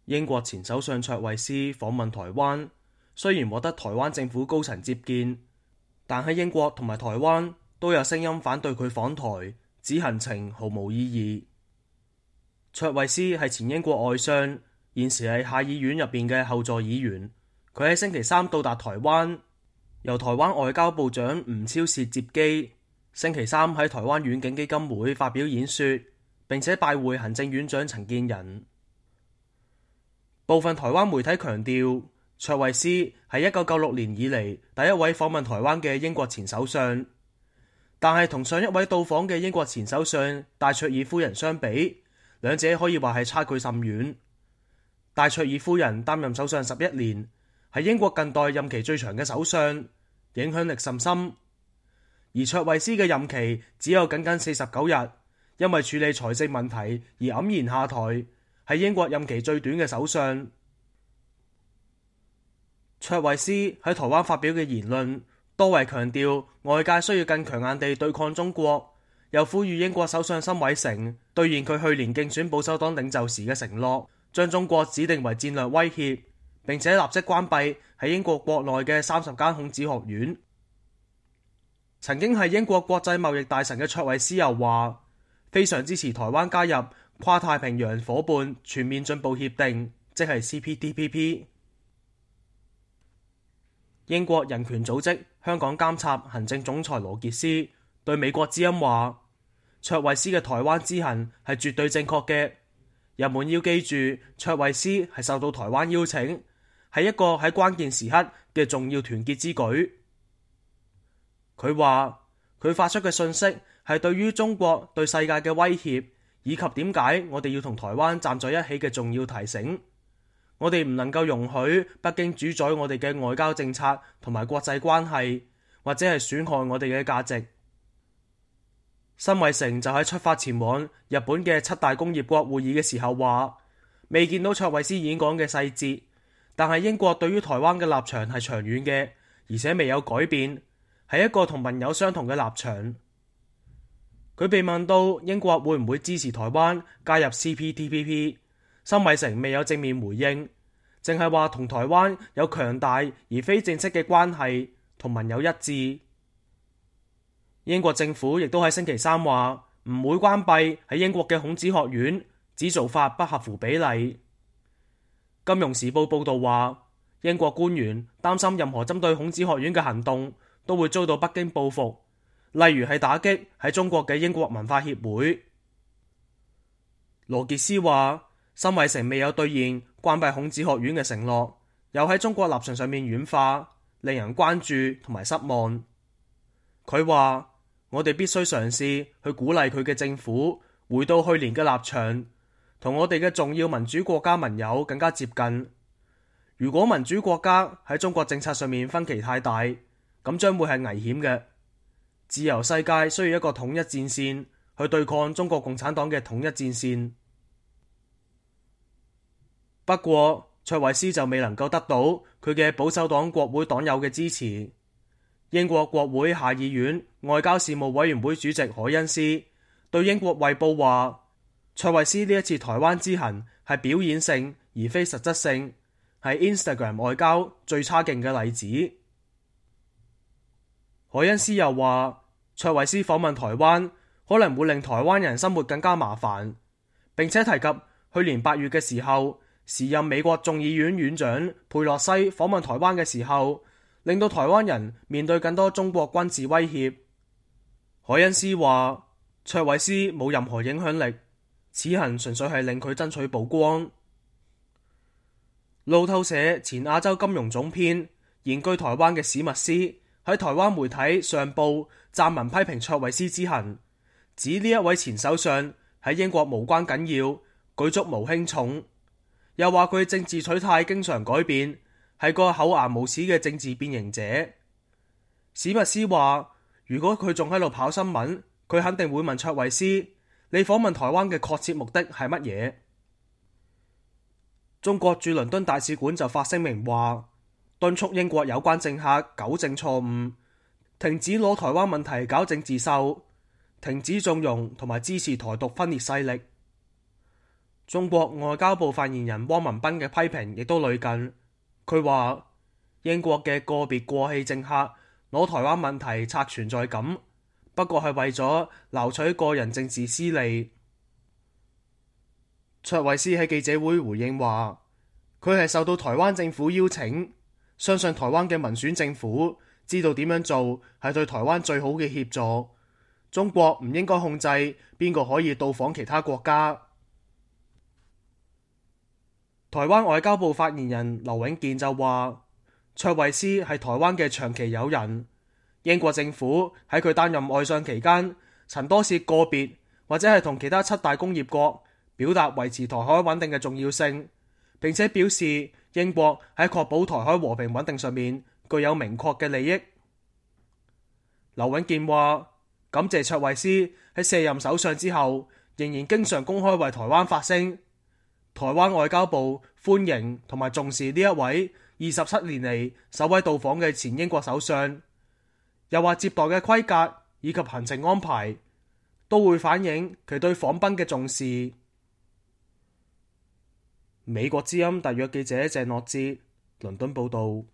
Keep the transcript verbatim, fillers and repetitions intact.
英國前首相卓慧思訪問台灣，雖然獲得台灣政府高層接見，但喺英國同埋台灣都有聲音反對佢訪台，指行程毫無意義。卓慧思係前英國外相，現時係下議院入邊嘅後座議員。佢喺星期三到達台灣，由台灣外交部長吳釗燮接機。星期三喺台灣遠景基金會發表演說，並且拜會行政院長陳建仁。部分台灣媒體強調，卓慧思係一九九六年以嚟第一位訪問台灣嘅英國前首相，但係同上一位到訪嘅英國前首相戴卓爾夫人相比，兩者可以話係差距甚遠。戴卓爾夫人擔任首相十一年，係英國近代任期最長嘅首相，影響力甚深。而卓慧思嘅任期只有僅僅四十九日，因為處理財政問題而黯然下台。係英國任期最短嘅首相。卓慧思喺台灣發表嘅言論，多為強調外界需要更強硬地對抗中國，又呼籲英國首相辛偉誠兌現佢去年競選保守黨領袖時嘅承諾，將中國指定為戰略威脅，並且立即關閉喺英國國內嘅三十間孔子學院。曾經係英國國際貿易大臣嘅卓慧思又話，非常支持台灣加入跨太平洋夥伴全面進步協定，即係 C P T P P。 英國人權組織香港監察行政總裁羅傑斯對美國之音話，卓慧思嘅台灣之行係絕對正確嘅。人們要記住，卓慧思係受到台灣邀請，係一個喺關鍵時刻嘅重要團結之舉。佢話佢發出嘅信息係對於中國對世界嘅威脅，以及點解我哋要同台灣站在一起嘅重要提醒。我哋唔能夠容許北京主宰我哋嘅外交政策同埋國際關係，或者係損害我哋嘅價值。辛偉誠就喺出發前往日本嘅七大工業國會議嘅時候話，未見到卓慧思演講嘅細節，但係英國對於台灣嘅立場係長遠嘅，而且未有改變，係一個同盟友相同嘅立場。佢被問到英國會唔會支持台灣加入 C P T P P， 辛偉誠未有正面回應，淨係話同台灣有強大而非正式嘅關係，同盟友一致。英國政府亦都喺星期三話唔會關閉喺英國嘅孔子學院，指做法不合乎比例。金融時報報道話，英國官員擔心任何針對孔子學院嘅行動都會遭到北京報復，例如係打擊喺中國嘅英國文化協會。羅傑斯話，辛偉誠未有兌現關閉孔子學院嘅承諾，又喺中國立場上面軟化，令人關注同埋失望。佢話，我哋必須嘗試去鼓勵佢嘅政府回到去年嘅立場，同我哋嘅重要民主國家盟友更加接近。如果民主國家喺中國政策上面分歧太大，咁將會係危險嘅。自由世界需要一個統一戰線去對抗中國共產黨嘅統一戰線。不過卓慧思就未能夠得到佢嘅保守黨國會黨友嘅支持。英國國會下議院外交事務委員會主席凱恩斯對英國衛報話，卓慧思呢一次台灣之行係表演性而非實質性，係 Instagram 外交最差勁嘅例子。凱恩斯又話，卓慧思訪問台灣可能會令台灣人生活更加麻煩，並且提及去年八月嘅時候，時任美國眾議院院長佩洛西訪問台灣嘅時候，令到台灣人面對更多中國軍事威脅。凱恩斯話，卓慧思冇任何影響力，此行純粹係令佢爭取曝光。路透社前亞洲金融總編、現居台灣嘅史密斯喺台灣媒體上報撰文批評卓慧思之行，指呢一位前首相喺英國無關緊要，舉足無輕重，又話佢政治取態經常改變，係個厚顏無恥嘅政治變形者。史密斯話，如果佢仲喺度跑新聞，佢肯定會問卓慧思，你訪問台灣嘅確切目的係乜嘢？中國駐倫敦大使館就發聲明話，敦促英國有關政客糾正錯誤，停止攞台灣問題搞政治秀，停止縱容同埋支持台獨分裂勢力。中國外交部發言人汪文斌嘅批評亦都類近，佢話英國嘅個別過氣政客攞台灣問題刷存在感，不過係為咗撈取個人政治私利。卓慧思喺記者會回應話，佢係受到台灣政府邀請，相信台灣嘅民選政府知道點樣做係對台灣最好嘅協助。中國唔應該控制邊個可以到訪其他國家。台灣外交部發言人劉永健就話，卓慧思係台灣嘅長期友人，英國政府喺佢擔任外相期間，曾多次個別或者係同其他七大工業國表達維持台海穩定嘅重要性，並且表示英國喺確保台海和平穩定上面具有明確嘅利益。劉永健話，感謝卓慧思喺卸任首相之後，仍然經常公開為台灣發聲。台灣外交部歡迎同埋重視呢一位二十七年嚟首位到訪嘅前英國首相，又話接待嘅規格以及行程安排都會反映佢對訪賓嘅重視。美國之音特約記者鄭諾哲倫敦報道。